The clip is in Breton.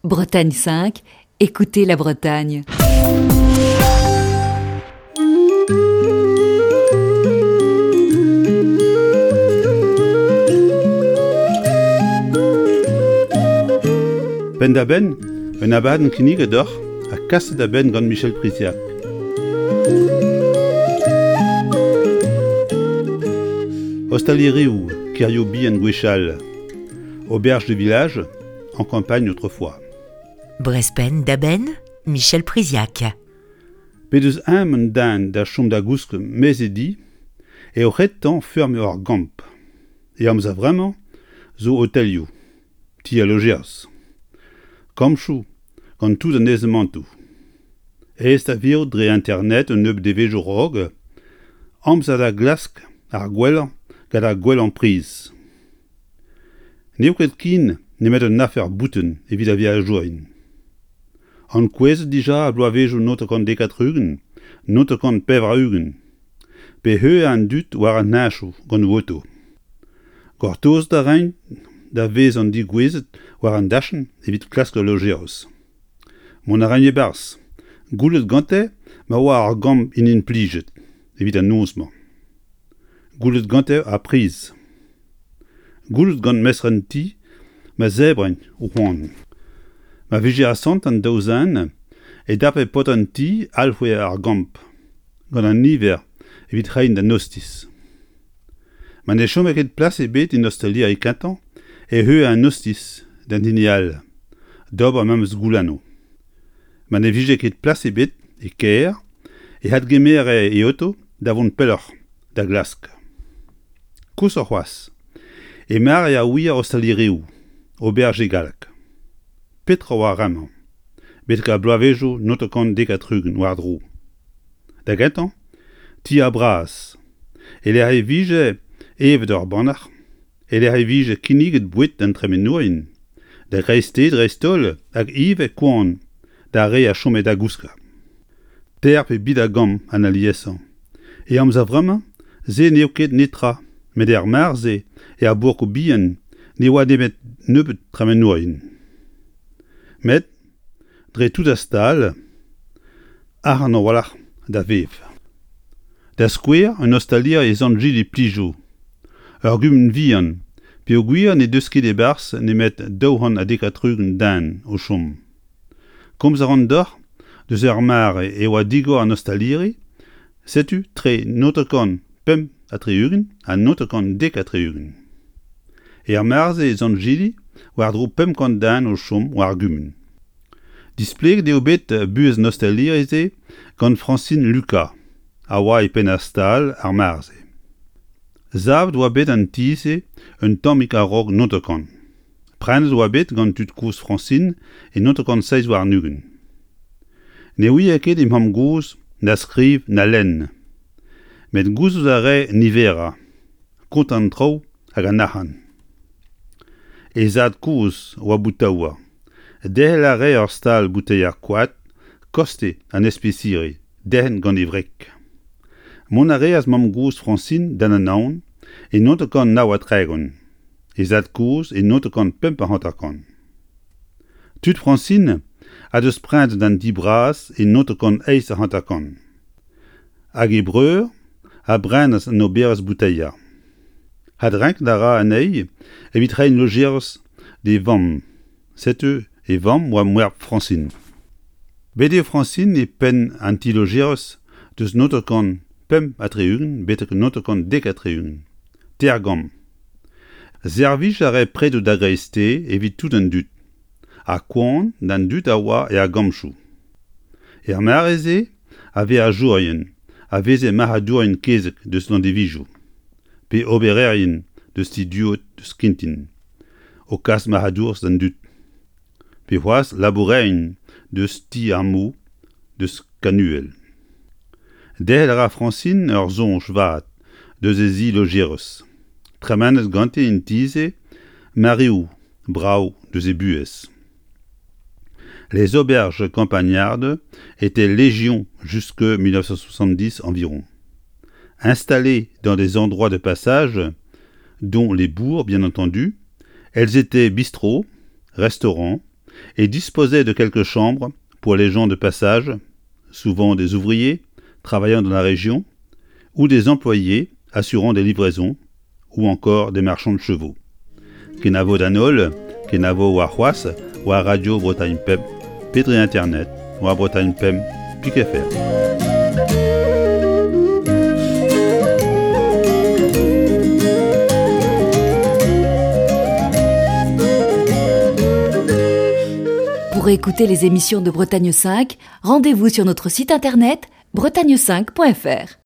Bretagne 5, écoutez la Bretagne. Penn-da-benn, un abadenn kinniget deoc'h ha kaset da benn gant Michel Priziac. Ostalerioù, kêrioù bihan gwechall, auberge de village, en campagne autrefois. Brezpenn da benn, Michel Priziac. P'he deus eñ un den da chom da gousk maez e di eo retañ feurmiñ ur gamp. E amzer vremañ zo otelioù, ti al lojerzh, kampchoù gant tout an aezamantoù. Aes da virout dre internet un nebeud devezhioù 'raok, amzer da glask ar gwellañ gant ar gwellañ priz. N'eo ket ken nemet un afer boutin evit ar veajourien. Ankouezet dija ar bloavezhioù 1990, 1980, pe heuliañ an dud war an heñchoù gant o oto. Gortozet a raint da vezañ degouezhet war an dachenn evit klask ul lojeroz. Mont a raint e-barzh, goullet gante ma oa ar gambr inimplijet evit an noz-mañ. Goullet gante ar priz. Goullet gant mestr an ti ma zebrint o c'hoan. Ma vije asant an daou zen e dape paotr an ti alc'hwez ar gambr gant an niver evit reiñ d'an ostiz. Ma ne chome ket plas ebet en ostaliri kentañ e heue an ostiz d'an hini all d'ober memes goulennoù. Ma ne vije ket plas ebet e kêr e adgemere e oto da vont pelloc'h da glask. Koshoc'h c'hoazh, e mare ar wir ostalirioù, auberge e galleg. Petra oa ar re-mañ? Betek ar bloavezhioù 1970 war-dro. Da gentañ, ti ar braz, e-lec'h e vije evet ur bannac'h, e-lec'h e vije kinniget boued d'an tremenourien, da greisteiz dreist-holl hag ivez koan d'ar re a chome da gouskañ. Teir pe bid a gambr an aliesañ. E amzer vremañ, se n'eo ket netra, met er mare-se, er bourkoù bihan, ne oa nemet nebeut tremenourien. Met dre tout ar stal, arc'hant a-walc'h da vevañ. Da skouer, un ostaliri e Sant-Jili-Plijo, ur gumun vihan, peogwir n'he deus ket e-barzh nemet 270 den o chom. Komz a ran deoc'h deus ur mare e oa digor an ostaliri, setu tre 965 ha 970. Er mare-se e Sant-Jili, war-dro 500 den o chom war ar gumun. Displeget eo bet buhez an ostaliri-se gant Francine Lucas, a oa e penn ar stal ar mare-se. Savet oa bet an ti-se un tammig a-raok 90. Prenet oa bet gant tud-kozh Francine e 1927. Ne ouie ket he mamm-gozh na skriv na lenn. Met gouzout a rae niverañ, kontañ an traoù hag an arc'hant. He zad-kozh oa boutaouer. Derc'hel a rae ur stal bouteier koad koste an espesiri derc'hent gant e wreg. Mont a reas mamm-gozh Francine d'an Anaon e 1939, he zad-kozh e 1955. Tud Francine a deus prenet an ti bras e 1958. Hag he breur a brenas an oberezh bouteier. Adrenkañ a ra anezhi evit reiñ lojeroz d'e vamm. Setu e vamm oa moereb Francine. Bet eo Francine e penn an ti-lojeroz deus 965 betek 970. Teir gambr. Servij a rae predoù da greisteiz evit tout an dud, ha koan d'an dud a oa er gambchoù. Er mare-se a veajourien a veze marc'hadourien kezeg deus Landivizio pe obererien deus ti Duod deus Kintin o kas marc'hadourezh d'an dud pe c'hoazh labourerien deus ti ar Mou deus Kanuhel. Derc'hel a ra Francine ur soñj vat deus he zi lojerez, tremenet ganti en ti-se mareoù brav deus he buhez. Les auberges campagnardes étaient légion jusque 1970 environ. Installées dans des endroits de passage, dont les bourgs bien entendu, elles étaient bistrots, restaurants, et disposait de quelques chambres pour les gens de passage, souvent des ouvriers travaillant dans la région, ou des employés assurant des livraisons, ou encore des marchands de chevaux. Kenavo d'an holl, kenavo warc'hoazh war Radio Bretagne Pemp pe dre internet war bretagne5.fr. Pour écouter les émissions de Bretagne 5, rendez-vous sur notre site internet bretagne5.fr.